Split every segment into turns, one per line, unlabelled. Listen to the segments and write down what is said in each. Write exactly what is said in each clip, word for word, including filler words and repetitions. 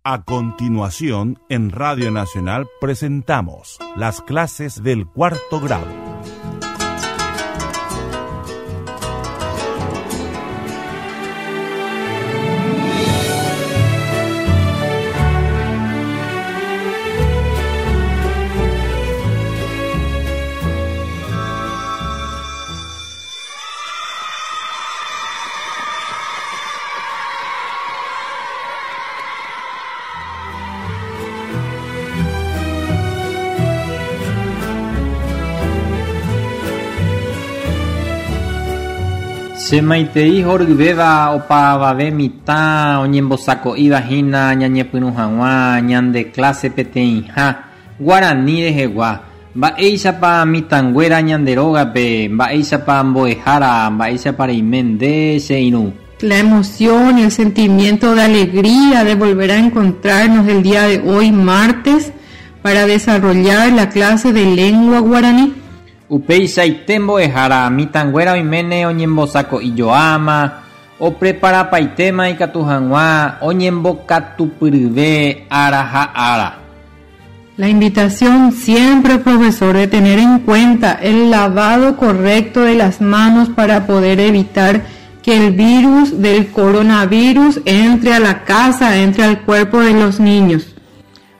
A continuación, en Radio Nacional presentamos las clases del cuarto grado.
Chemaitei horyvéva opavave mitã oñembosako'íva hína ñañepyrũ hag̃ua ñande clase peteĩha guarani rehegua. Mba'éichapa mitãnguéra ñande rógape, mba'éichapa mbo'ehára, mba'éichapa reime nde che irũ.
La emoción y el sentimiento de alegría de volver a encontrarnos el día de hoy, martes, para desarrollar la clase de lengua guaraní.
Upeichaite mbo'ehára mitãnguéra oiméne oñembosako'ijoáma, opreparapaitéma ikatu hag̃ua oñembokatupyryve ára ha ára.
La invitación siempre, profesor, de tener en cuenta el lavado correcto de las manos para poder evitar que el virus del coronavirus entre a la casa, entre al cuerpo de los niños.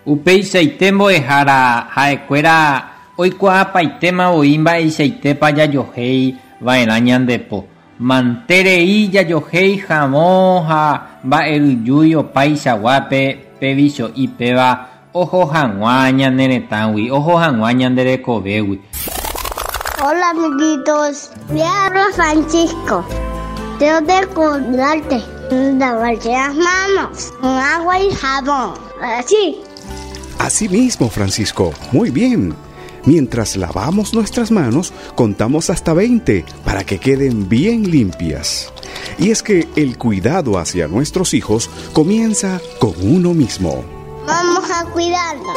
Upeichaite mbo'ehára ha'ekuéra oikuaapaitéma voi mba'eichaitépa jajohéi va'erã ñandepo. Manterei jajohéi havõ ha mba'eryjúi opaichaguápe pe vicho'i péva oho hag̃ua ñane retãgui, oho hag̃ua ñande rekovégui.
Hola amiguitos, me habla Francisco. Tengo que acordarte lavarse las manos con agua y jabón. Así.
Así mismo, Francisco. Muy bien. Mientras lavamos nuestras manos, contamos hasta veinte para que queden bien limpias. Y es que el cuidado hacia nuestros hijos comienza con uno mismo.
Vamos a cuidarnos.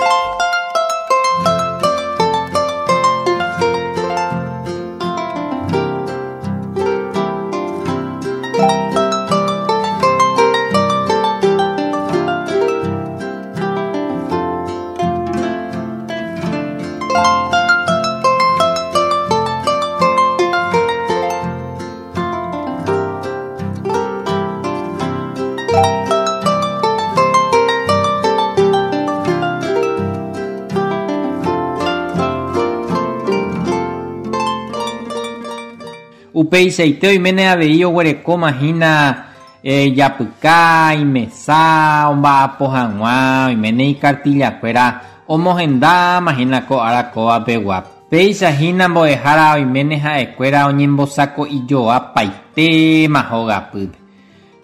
Upeichaite oiméne avei oguerekóma hína eh, japyka, imesa, omba'apo hag̃ua, oiméne ikartillakuéra omohendáma hína ko ára kóvapegua. Péicha hína mbo'ehára oiméne ha'ekuéra oñembosako'ijoapaitéma hogapýpe.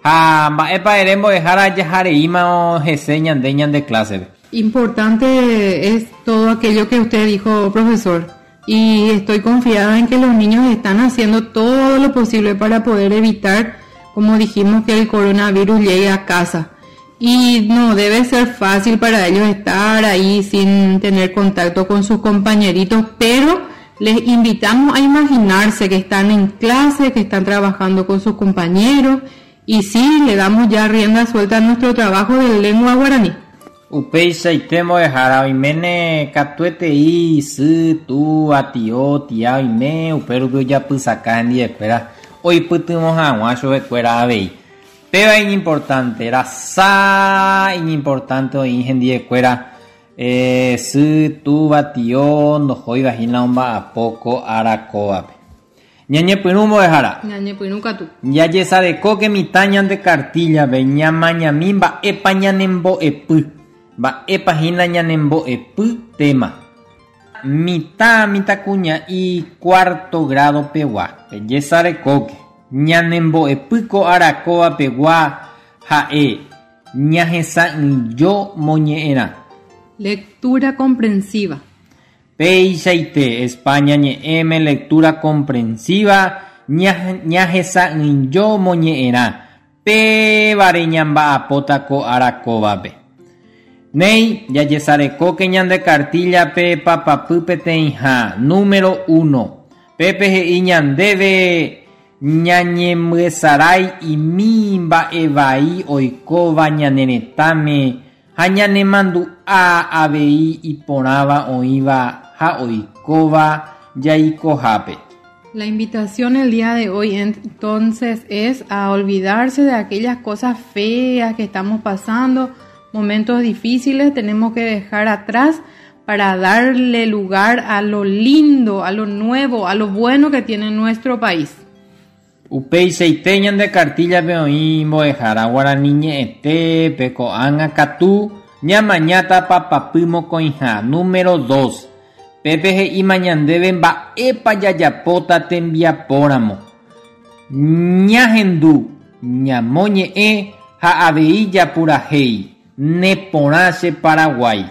Ha mba'épa ere mbo'ehára jahareíma hese ñande ñande clásepe.
Importante es todo aquello que usted dijo, profesor. Y estoy confiada en que los niños están haciendo todo lo posible para poder evitar, como dijimos, que el coronavirus llegue a casa. Y no debe ser fácil para ellos estar ahí sin tener contacto con sus compañeritos, pero les invitamos a imaginarse que están en clase, que están trabajando con sus compañeros, y sí, le damos ya rienda suelta a nuestro trabajo de lengua guaraní.
Upeichaite mbo'ehára oiméne katuetei sy, túva, tio, tia oime upérupi ojapysaka hendivekuéra oipytyvõ hag̃ua chupekuéra avei. Péva iñimportante, rasa iñimportante oĩ hendivekuéra eh, sy, túva, tio ndohóiva hína omba'apo ko ára kóvape. Ñañepyrũ mbo'ehára.
Ñañepyrũ katu.
Jajesarekóke mitã ñande kartillape ñamañami mba'épa ñanembo'epy. Mba'épa hína ñanembo'epy tema. Mitã mitãkuña'i cuarto grado pegua. Pejesarekóke. Ñanembo'epy ko ára kóva pegua ha'e ñahesa'ỹijo moñe'ẽrã.
Lectura comprensiva.
Peichaite España ñe'ẽme lectura comprensiva ñahesa'ỹijo moñe'ẽrã. Pévare ñamba'apóta ko ára kóvape. Nei, jajesarekóke ñande kartillape papapy peteĩha, número uno. Pepe he'i ñandéve ñañemyesarái imi mba'evai oikóva ñane retãme Ha ñanemandu'a avei iporãva oĩva ha oikóva jaikohápe.
La invitación el día de hoy entonces es a olvidarse de aquellas cosas feas que estamos pasando, momentos difíciles tenemos que dejar atrás para darle lugar a lo lindo, a lo nuevo, a lo bueno que tiene nuestro país.
Upeichaite ñande cartilla-pe oĩ mbo'ehára guarani ñe'ẽtépe ko'ág̃a katu ñamañáta papapy mokõiha número dos. Pépe he'íma ñandéve mba'épa jajapóta tembiapóramo. Ñahendu, ñamoñe'ẽ ha avei japurahéi neporã che Paraguái.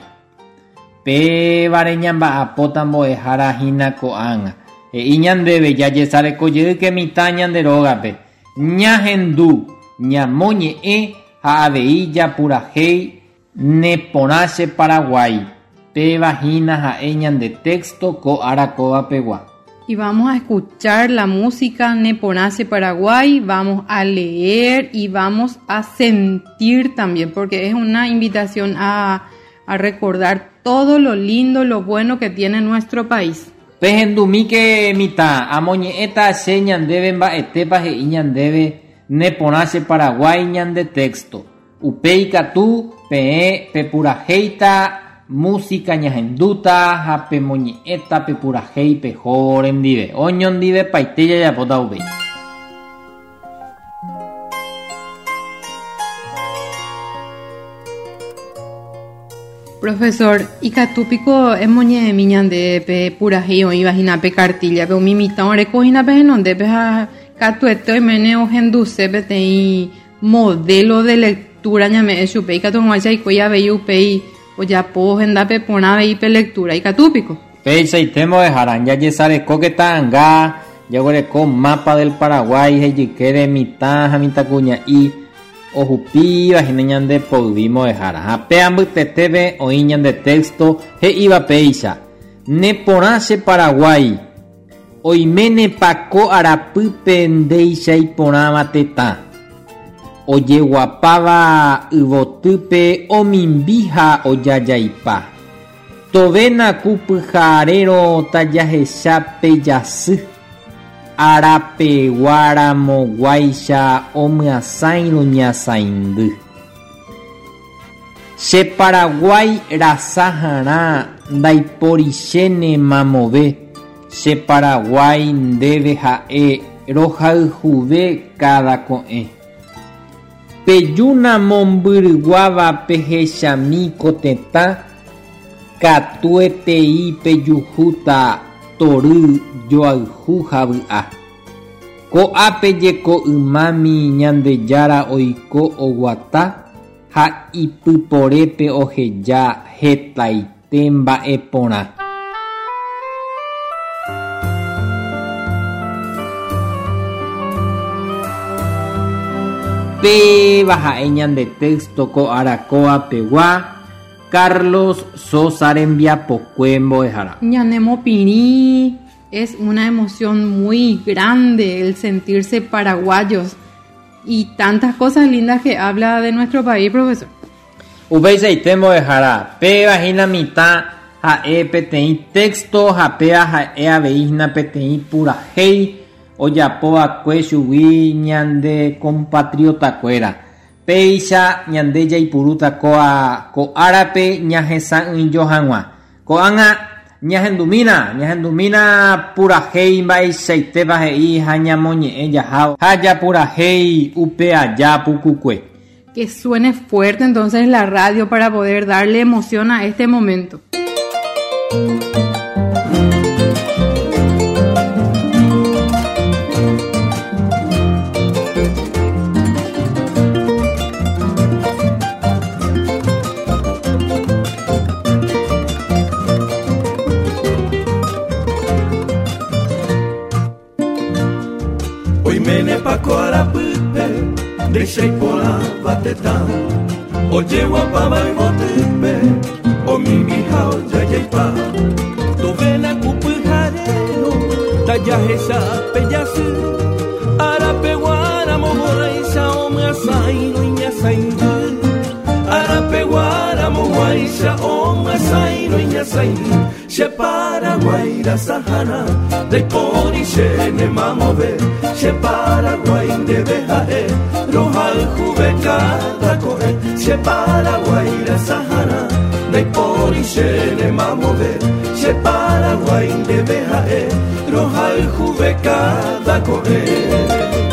Pévare ñamba'apóta mbo'ehára hína ko'ág̃a. He'i ñandéve jajesarekojey mitã ñande rógape. Ñahendu, ñamoñe'ẽ ha avei japurahéi neporã che Paraguái. Péva hína ha'e ñande texto ko ára kóvapegua.
Y vamos a escuchar la música Neporã che Paraguay, vamos a leer y vamos a sentir también, porque es una invitación a, a recordar todo lo lindo, lo bueno que tiene nuestro país.
Pehendumíke mitã amoñe'ẽta che ñandéve mba'etépa he'i ñandéve Neporã che Paraguay ñande texto. Upéi katu peẽ pepurahéita música ñahendúta ha pemoñe'ẽta pepurahéi peho rendive. Oñondivepaite jajapóta upéi.
Profesor, ikatúpiko emoñe'ẽmi ñande pe purahéi oĩva hína pe cartilla-pe umi mitã oreko hína pe henondépe ha katuete oimene ohenduse peteĩ modelo de lectura ñame'ẽ chupe ikatu hag̃uáicha oiko avei upéi ojapo hendápe porã avei pe lectura ikatúpiko.
Peichaite mbo'ehára jajesarekóke ta'ãnga jaguereko mapa del Paraguay hejykére mitã ha mitãkuña'i ohupíva hína ñande poyvi mbo'ehára. Ha pe ambytetépe oĩ ñande texto he'íva péicha. Neporã che Paraguay oiménepa ko arapýpe ndéicha iporãva tetã. Ojeguapáva yvotýpe omimbi ha ojajaipa. Tovéna kupyharérõ tajahecha pe jasy. Arapeguaramoguáicha omyasãirõ ñasãindy. Che Paraguay rasaharã ndaiporichéne mamove. Che Paraguay ndéve ha'e rohayhuve cada ko'ẽ. Pejúna mombyryguáva pehechami ko tetã katuetei pejuhúta tory joayhu ha vy'a. Ko'ápe jeko ymámi Ñandejára oiko oguata ha ipyporépe oheja hetaite mba'eporã. Péva ha'e ñande texto ko ára kóvapegua Carlos Sosa rembiapokue mbo'ehára.
Ñanemopirĩ es una emoción muy grande el sentirse paraguayos y tantas cosas lindas que habla de nuestro país, profesor.
Upeichaite mbo'ehára péva hína mitã ha'e peteĩ texto ha péva ha'e avei hína peteĩ purahéi ojapóva'ekue chugui ñande compatriotakuéra. Péicha ñande jaipurúta ko'a ko árape ñahesa'ỹijo hag̃ua. Ko'ág̃a ñahendumína, ñahendumína purahéi mba'eichaitépa he'i ha ñamoñe'ẽ jaha ha japurahéi upe aja pukukue.
Que suene fuerte entonces la radio para poder darle emoción a este momento.
Ndeichaipórãva tetã ojeguapáva yvotýpe omimbiha ojajaipa. Tovéna kupyharérõ tajahecha pe jasy arapeguáramoguáicha omyasãirõ iñasãindy. Arapeguáramoguáicha Guaisha omwasaino inyasaini Che Paraguay la Sahara Daipori che ne mamove Che Paraguay debe jae Roja juve cada coe Che Paraguay la Sahara Daipori che ne mamove Che Paraguay debe jae Roja juve cada coe.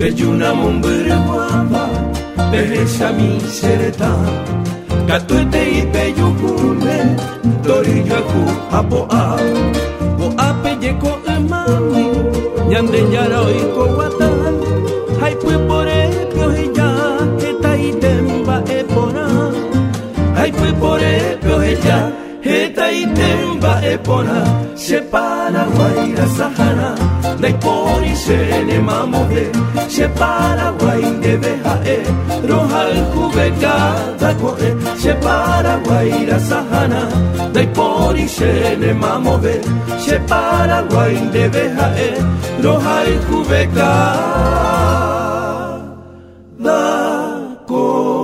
Peyuna mombere guapa, pejecha mi sereta, katuete y peyukune, torillo aku apoa, boa peyeko emami, ñande yara oiko guata, haipue pore piojeya, eta itemba epora, haipue pore piojeya, eta itemba epora, che Paraguay la Sahara, Daipori se ne mamove, che Paraguay debe jae, roja juve cada coe, che Paraguay la Sahara, Daipori se ne mamove, che Paraguay debe jae, roja juve cada coe.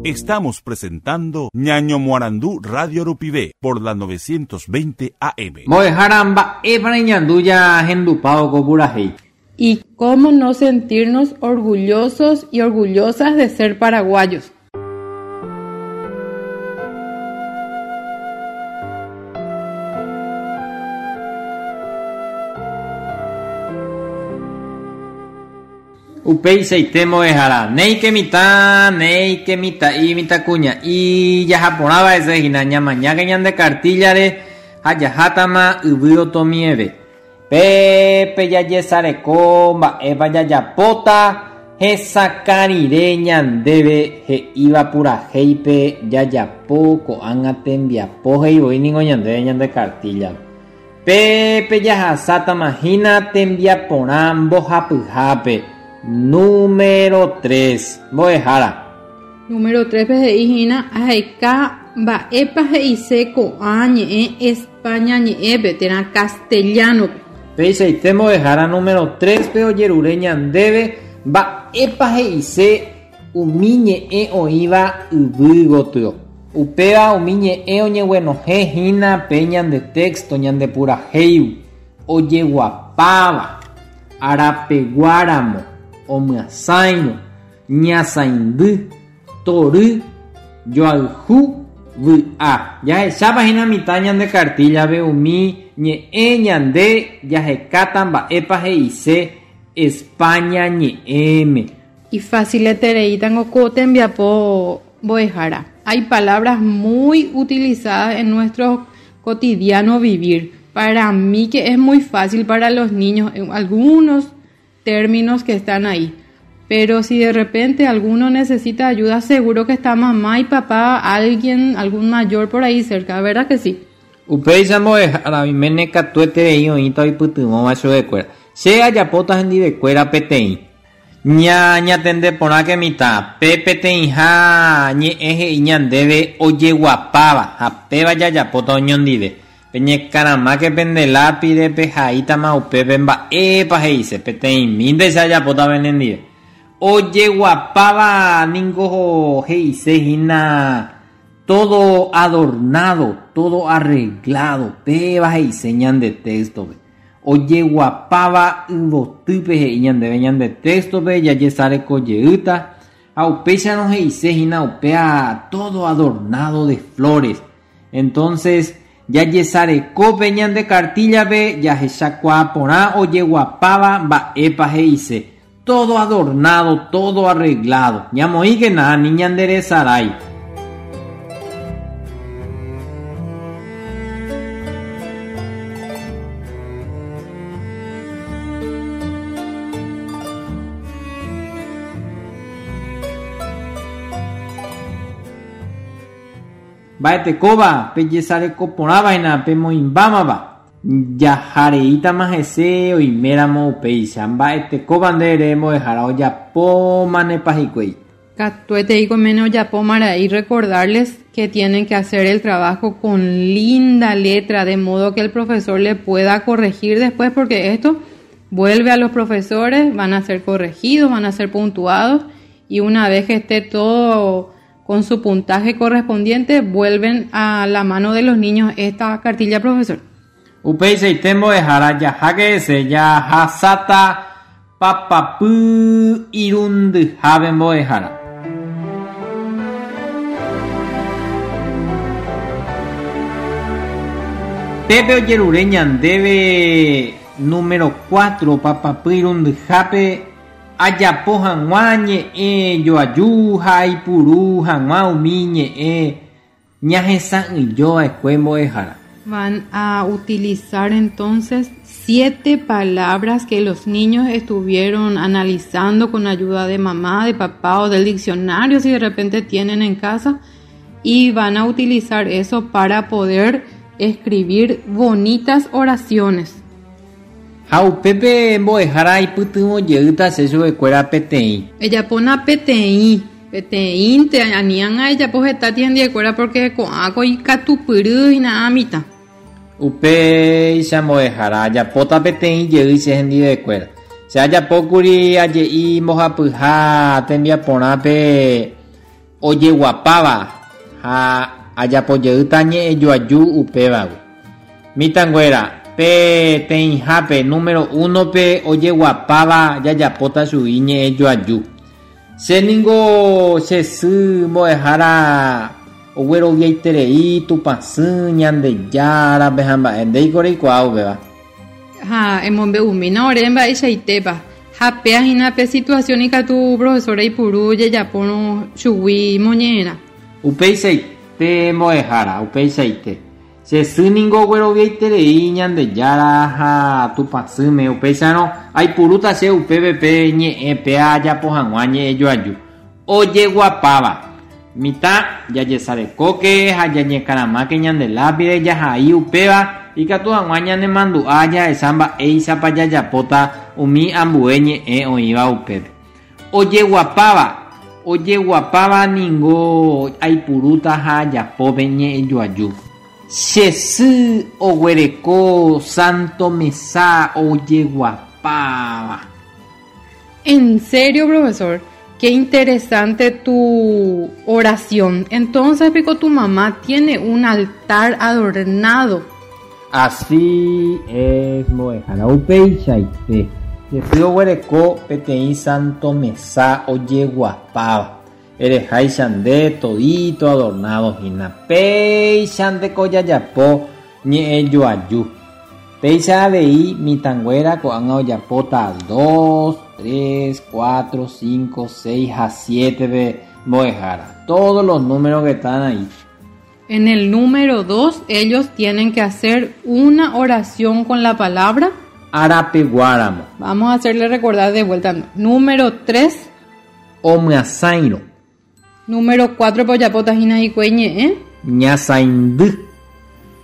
Estamos presentando Ñaño Moarandú Radio Rupivé por la novecientos veinte A M.
Moejaramba, Ebra Ñanduya, Gendupao, Goburají.
Y cómo no sentirnos orgullosos y orgullosas de ser paraguayos.
Upei seitemo ejara, nei que mitá, nei que mitá y mitá cuña, y ya japonaba ese ginaña mañana que ñan de cartillare, hayajatama ubio tomieve. Pepe ya yesareko, ba eva ya yapota, hesakarire ñandebe, he iba pura heipe, ya yapo, koanga tembiapo, hei voy ningo ñandebe ñan de cartilla. Pepe ya hasata majina tembiaporán bojapujape. Número tres, Moejara.
Número tres, P G I, Aika, Ba, Epa, G I C, Co, A, Ñ, E, España, Ñ, E, P, Tera, castellano.
P, I, C, Moejara, número tres, P, O, Yerureña, Debe, Ba, Epa, G I C, Umi, Ñ, E, O, Iba, Ubu, Gotio. Upea, Umi, Ñ, E, O, Ñ, bueno, G, Gina, Peña, de texto, Ñan de pura, Heiu, Oye, Guapava, Arapeguáramo, Omyasaino, Ñasaindú, Torú, Yoaljú, V'a. Ya esa página mitad ñan de cartilla ve umi, ñe e ñande, ya jecatan ba epa G I C, España ñe M.
Y fácil eterei tango cote enviapo boejara. Hay palabras muy utilizadas en nuestro cotidiano vivir. Para mí que es muy fácil para los niños, algunos términos que están ahí. Pero si de repente alguno necesita ayuda, seguro que está mamá y papá, alguien, algún mayor por ahí cerca, ¿verdad que sí?
Upei samo de jara, mi mene katuete de ahí, oíta y putumó, macho de cuera. Sea ya potas en di de cuera, peteí. Ña, ña tende porá que mitad. Pe, peteí, ja, ñe, eje, y ñandebe, oye guapaba. Ja, pe, vaya, ya pota, oñón di de. Peñe carama que pende lápiz, pe, jaita, ma, upe, pemba, epa, je, dice, peteí, minde, esa ya pota, venendide. Oye guapaba, ningo, je, dice, jina, todo adornado, todo arreglado, pe, va, je, dice, ñan de texto, pe. Oye guapaba, ubotupe, je, ñan de, ñan de texto, pe, ya ye sale colleuta. Aupecha no, je, dice, jina, upea, todo adornado de flores. Entonces, ya yesareko peñan de cartilla be, ya jechacuaporá, oye guapaba, va epa je dice. Todo adornado, todo arreglado. Ya moí que nada, niña enderezaray. Baete koba, pe yesareko porá vaina, pe moimbámaba. Jahareítama hese oiméramo upéicha mba'etekópa nde mbo'ehára ojapómanepa hikuái.
Katuete mene ojapómara'e y recordarles que tienen que hacer el trabajo con linda letra de modo que el profesor le pueda corregir después, porque esto vuelve a los profesores, van a ser corregidos, van a ser puntuados y una vez que esté todo con su puntaje correspondiente, vuelven a la mano de los niños esta cartilla, profesor.
Upeichaite mbo'ehára jaháke hese jahasáta papapy irundyhápe mbo'ehára. Pépe ojerure ñandéve número cuatro papapy irundyhápe ajapo hag̃ua ñe'ẽ joaju ha aipuru hag̃ua umi ñe'ẽ ñahesa'ỹijova'ekue mbo'ehára.
Van a utilizar entonces siete palabras que los niños estuvieron analizando con ayuda de mamá, de papá o del diccionario si de repente tienen en casa, y van a utilizar eso para poder escribir bonitas oraciones.
Ha upépe mbo'ehára aipytyvõ jeýta che chupekuéra peteĩ.
Ejapóna peteĩ, peteĩnte aniág̃a ejapo heta tiendiekuéra porque ko'ã ko ikatupyry hína mitã.
Upéicha mbo'ehára ajapóta peteĩ jey che hendivekuéra. Che ajapókuri aje'i mbohapyha tembiaporãpe ojeguapáva ha ajapo jeýta ñe'ẽjoaju upévagui. Mitãnguéra peteĩhápe número uno-pe ojeguapáva jajapóta chugui ñe'ẽjoaju. Che ningo che sy mbo'ehára ogueroviaiterei Tupãsy Ñandejárape ha mba'e ndéiko reikuaa upéva.
Ha emombe'umína ore mba'eichaitépa ha péa hína pe situación ikatu profesora ipuru jejapórõ chugui moñe'ẽrã.
Upeichaite mbo'ehára, upeichaite. Che sy ningo ogueroviaiterei Ñandejára ha Tupãsýme upéicharõ aipurúta che upépe pe ñe'ẽ péa ajapo hag̃ua ñe'ẽjoaju. Ojeguapáva. Mitã jajesarekóke ha jañekaramáke ñande lápide jahai upéva ikatu hag̃ua ñanemandu'a jahecha mba'éichapa jajapóta umi ambue ñe'ẽ oĩva upépe. Ojeguapáva. Ojeguapáva ningo aipurúta ha ajapópe ñe'ẽjoaju. Che sy oguereko santo mesa ojeguapáva.
En serio, profesor, qué interesante tu oración. Entonces, pico, tu mamá tiene un altar adornado.
Así es, mbo'ehára upeichaite. Che sy oguereko peteĩ santo mesa ojeguapáva. Ereháicha nde todito adornado hína. Péicha ndeko jajapo ñe'ẽjoaju. Péicha avei mitãnguéra ko'ág̃a ojapóta dos, tres, cuatro, cinco, seis ha siete-pe mbo'ehára. Todos los números que están ahí.
En el número dos, ellos tienen que hacer una oración con la palabra
Arapeguáramo.
Vamos a hacerle recordar de vuelta. Número tres.
Omyasairo.
Número cuatro, poyapota hína hikuái ñe'ẽ.
Ñasaindy.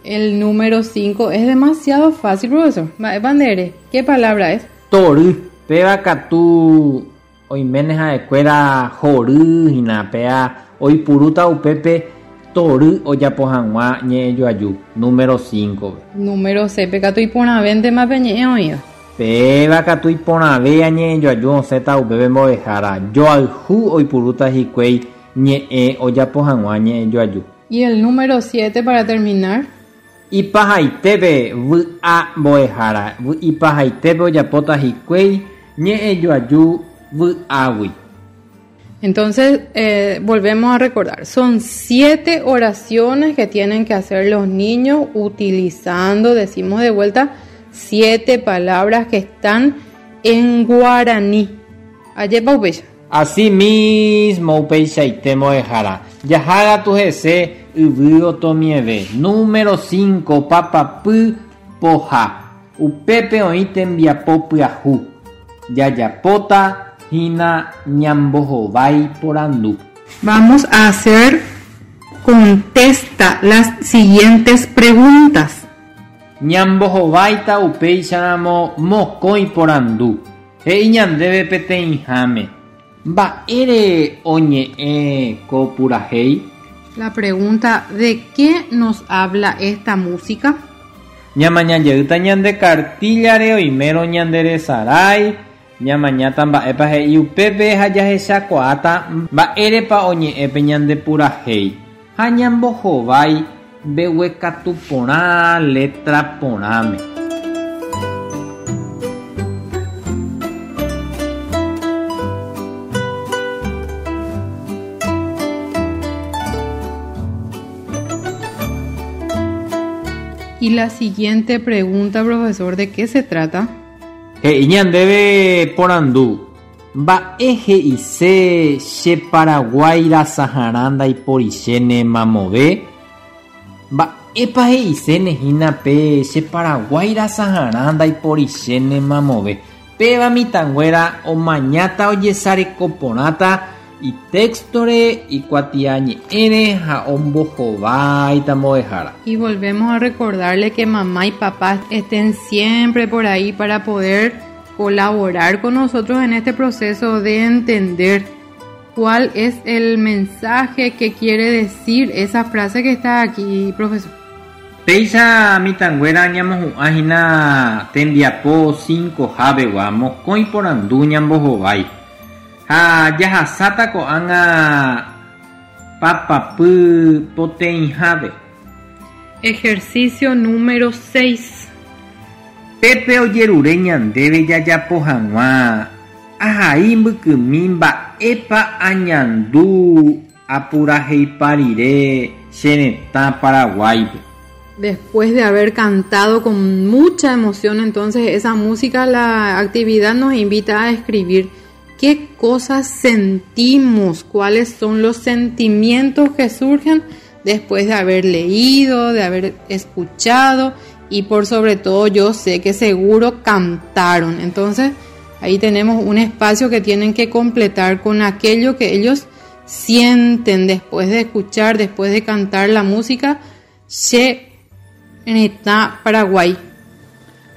El número cinco es demasiado fácil, profesor. Bandere, ¿qué palabra es?
Tory. Péva katu oiméne ha'ekuéra hory hína péa oipurúta upépe tory ojapo hag̃ua ñe'ẽjoaju. Número cinco.
Número seis, katu iporãvéntema pe ñe'ẽ oĩva.
Péva katu iporãve añe'ẽjoaju osẽta upépe mbo'ehára. Joayhu oipurúta hikuái ñe'ẽ ojapo hag̃ua ñe'ẽjoaju.
Y el número siete para terminar.
Ipahaitépe vy'a mbo'ehára. Ipahaitépe ojapóta hikuái ñe'ẽjoaju vy'águi.
Entonces, eh, volvemos a recordar, son siete oraciones que tienen que hacer los niños utilizando, decimos de vuelta, siete palabras que están en guaraní. Ayepa upéicha.
Así mismo upeichaite mbo'ehára. Jahága tu hese yvy otomieve. Número cinco, papapy poha. Upépe oĩ tembiapo pyahu. Jajapóta hína ñambohovái porandu.
Vamos a hacer, contesta las siguientes preguntas.
Ñambohováita upéicharamo mokõi porandu. He'i ñandéve peteĩháme. Mba'ére oñe'ẽ ko purahéi?
La pregunta, ¿de qué nos habla esta música?
Ñamaña jeýta ñande cartillare oimérõ ñanderesarái, ñamañáta mba'épa he'i upépe ha jahechakuaáta mba'érepa oñe'ẽ pe ñande purahéi. Ha ñambohovái mbeguekatu porã letra porãme.
Y la siguiente pregunta, profesor, ¿de qué se trata?
He'i ñandéve porandu. Mba'e he'ise che Paraguái rasaharã ndaiporichéne mamove? Mba'épa he'iséne hína pe che Paraguái rasaharã ndaiporichéne mamove? Péva mitãnguéra omañáta ojesareko porãta itextore ikuatiañe'ẽre ha ombohováita mbo'ehára.
Y volvemos a recordarle que mamá y papá estén siempre por ahí para poder colaborar con nosotros en este proceso de entender cuál es el mensaje que quiere decir esa frase que está aquí, profesor.
Péicha mitãnguéra ñamohu'ã hína tembiapo cinco javegua mokõi porandu ñambohovái. Ha jahasáta ko'ág̃a papapy poteĩhápe.
Ejercicio número seis.
Pépe ojerure ñandéve jajapo hag̃ua ahai mbykymi mba'épa añandu apuraheipa rire che retã Paraguáipe.
Después de haber cantado con mucha emoción, entonces esa música, la actividad nos invita a escribir qué cosas sentimos, cuáles son los sentimientos que surgen después de haber leído, de haber escuchado y por sobre todo yo sé que seguro cantaron. Entonces ahí tenemos un espacio que tienen que completar con aquello que ellos sienten después de escuchar, después de cantar la música Che Retã Paraguay.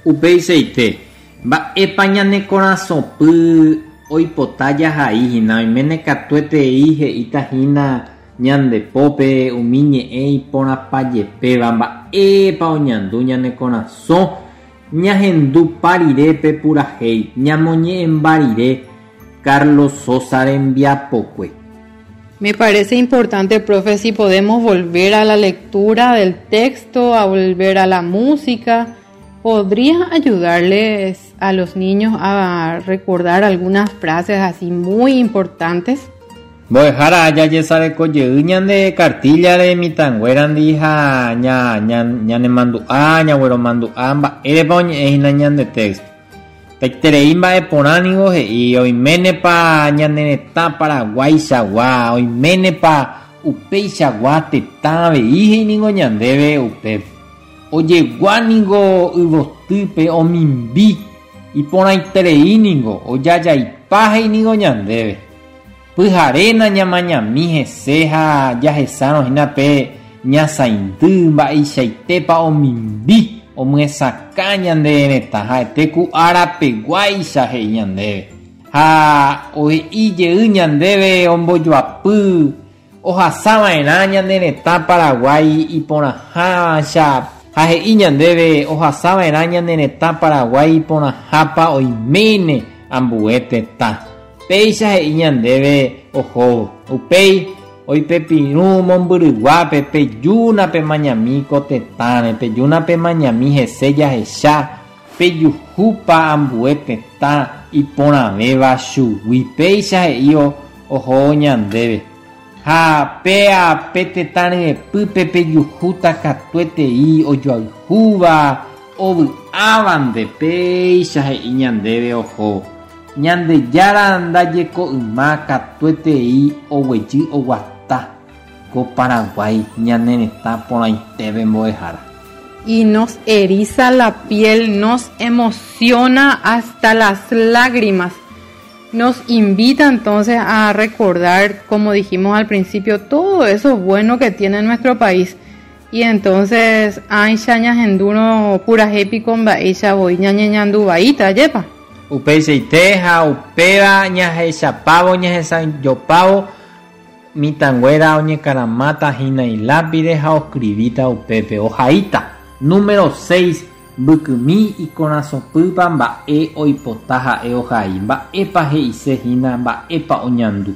Upeichaite, mba'épa ñane korasõpy oipota jahai hína oiméne katuetei he'íta hína ñandepópe umi ñe'ẽ iporãpajepéva mba'épa oñandu ñane korasõ ñahendupa rire pe purahéi ñamoñe'ẽmba rire Carlos Sosa rembiapokue.
Me parece importante, profe, si podemos volver a la lectura del texto, a volver a la música. ¿Podría ayudarles a los niños a recordar algunas frases así muy importantes?
Mbo'ehára jajesareko jey ñande cartillare mitãnguérandi ha ña, ña, ñanemandu'a, ñagueromandu'a mba'érepa oñe'ẽ hína ñande texto. Taiterei mba'eporã ningo he'i oiménepa ñane retã Paraguaichagua, oiménepa upeichagua tetã avei he'i ningo ñandéve upépe. Ojegua ningo yvotýpe omimbi iporãiterei ningo ojajaipa he'i ningo ñandéve. Pyharéna ñamañami hese ha jahesárõ hína pe ñasaindy mba'eichaitépa omimbi omyesakã ñande retã ha'ete ku árapeguáicha he'i ñandéve. Ha ohe'i jey ñandéve ombojoapy ohasava'erã ñane retã Paraguái iporãhácha ha he'i ñandéve ohasava'erã ñane retã Paraguái iporãhápa oiméne ambue tetã. Péicha he'i ñandéve ohóvo. Upéi oipepirũ mombyryguápe pejúna pemañami ko tetãre, pejúna pemañami hese jahecha pejuhúpa ambue tetã iporãvéva chugui. Péicha he'i ohóvo ñandéve. Ha péa pe tetã ryepýpe pejuhúta katuetei ojoayhúva ovy'ávante. Péicha he'i ñandéve ohóvo. Ñandejára ndajeko yma katuetei oguejy oguata ko Paraguái ñane retã porãitépe mbo'ehára.
Y nos eriza la piel, nos emociona hasta las lágrimas. Nos invita entonces a recordar, como dijimos al principio, todo eso bueno que tiene nuestro país. Y entonces ãicha ñahendúrõ purahéi piko mba'éicha voi ñañeñanduvaíta, ajépa.
Upeichaite ha upéva ñahechapávo ñahesa'ỹijopávo mitãnguéra oñekaramáta hína ilápide ha oscribíta upépe ohaíta. Número seis. Mbykymi ikorasõpýpa mba'e oipota ha'e ohai, mba'épa he'isehína, mba'épa oñandu.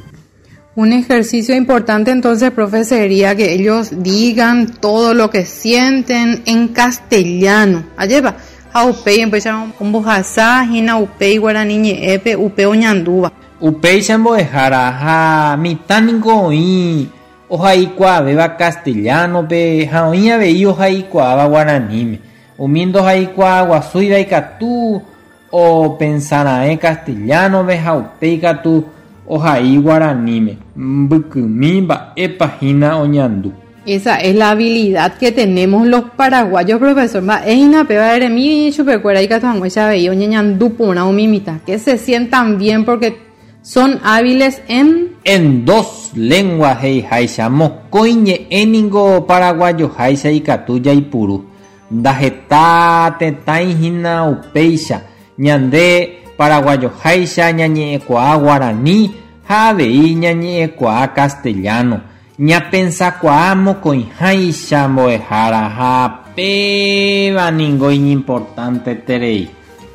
Un ejercicio importante entonces, profe, sería que ellos digan todo lo que sienten en castellano. Ajépa, ha upéi empieza ombohasa hína upéi guarani ñe'ẽpe upe oñandúva.
Upéicha mbo'ehára ha mitã niko oĩ ohaikuaavéva castellano-pe ha oĩ avei ohaikuaáva guaraníme. Umi ndohaikuaaguasúiva ikatu opensara'ẽ castellano-pe ha upéi katu ohai guaraníme. Mbykymi mba'épa hína oñandu.
Esa es la habilidad que tenemos los paraguayos, profesor. Mba'e hína péva eremi chupekuéra ikatu hag̃uáicha avei oñeñandu porã umi mitã, que se sientan bien porque son hábiles en
En dos lenguas he'iháicha mokõi ñe'ẽ ningo paraguayoháicha ikatu jaipuru. Ndaheta tetãi hína upéicha ñande paraguayoháicha ñañe'ẽkuaa guarani ha avei ñañe'ẽkuaa castellano. Ñapensakuaa mokõiháicha mbo'ehára ha péva ningo iñimportanteterei.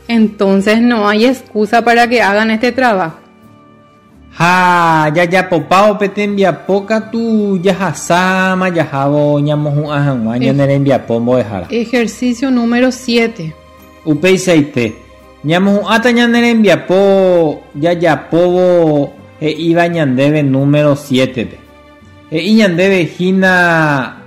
Entonces no hay excusa para que hagan este trabajo.
Ha jajapopávo pe tembiapo katu jahasáma jahávo ñamohu'ã hag̃ua ñane rembiapo mbo'ehára.
Ejercicio número siete.
Upeichaite. Ñamohu'ãta ñane rembiapo jajapóvo he'íva ñandéve número siete-pe. He'i ñandéve hína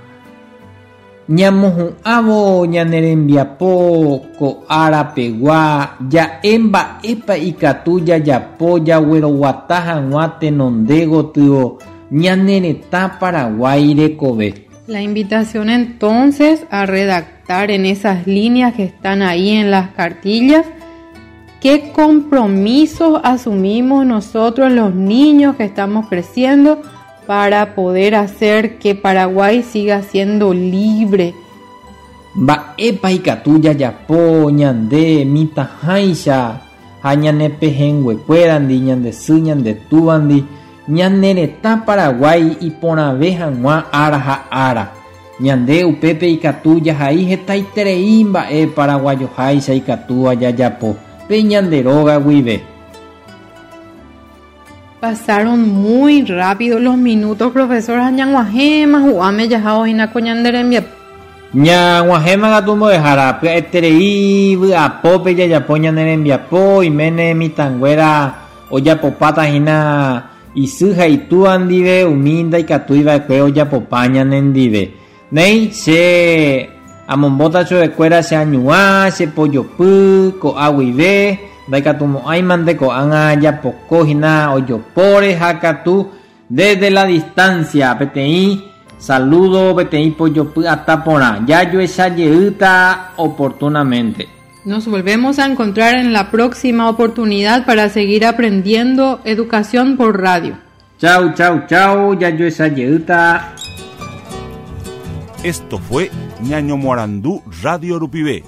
ñamohu'ãvo ñane rembiapo ko árapegua ja'e mba'épa ikatu jajapo jagueroguata hag̃ua tenonde gotyo ñane retã Paraguái rekove.
La invitación entonces a redactar en esas líneas que están ahí en las cartillas qué compromisos asumimos nosotros los niños que estamos creciendo para poder hacer que Paraguay siga siendo libre.
Mba'épa ikatu jajapo ñande mitãháicha ha ñane pehẽnguekuérandi, ñande sy, ñande túvandi, ñane retã Paraguái iporãve hag̃ua ára ha ára. Ñande upépe ikatu jahai hetaiterei mba'e paraguayoháicha ikatúva jajapo pe ñande róga guive.
Pasaron muy rápido los minutos, profesor. Ñag̃uahẽma hu'ãme jahávo hína ko ñande rembiapo.
Ñag̃uahẽma katu mbo'ehára pya'eterei vy'apópe jajapo ñane rembiapo iméne mitãnguéra ojapopáta hína isy ha itúva ndive umi ndaikatúiva'ekue ojapopa ñanendive. Néi che amombóta chupekuéra che añuã, che pojopy, ko'a guive, ndaikatumo'ãimante ko'ág̃a japoko hína ojopóre ha katu desde la distancia peteĩ saludo peteĩ pojopy atã porã. Jajoechajeýta oportunamente.
Nos volvemos a encontrar en la próxima oportunidad para seguir aprendiendo educación por radio.
Chau, chau, chau, jajoechajeýta.
Esto fue Ñaño Morandú Radio Rupivé,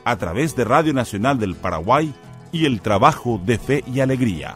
a través de Radio Nacional del Paraguay y el trabajo de Fe y Alegría.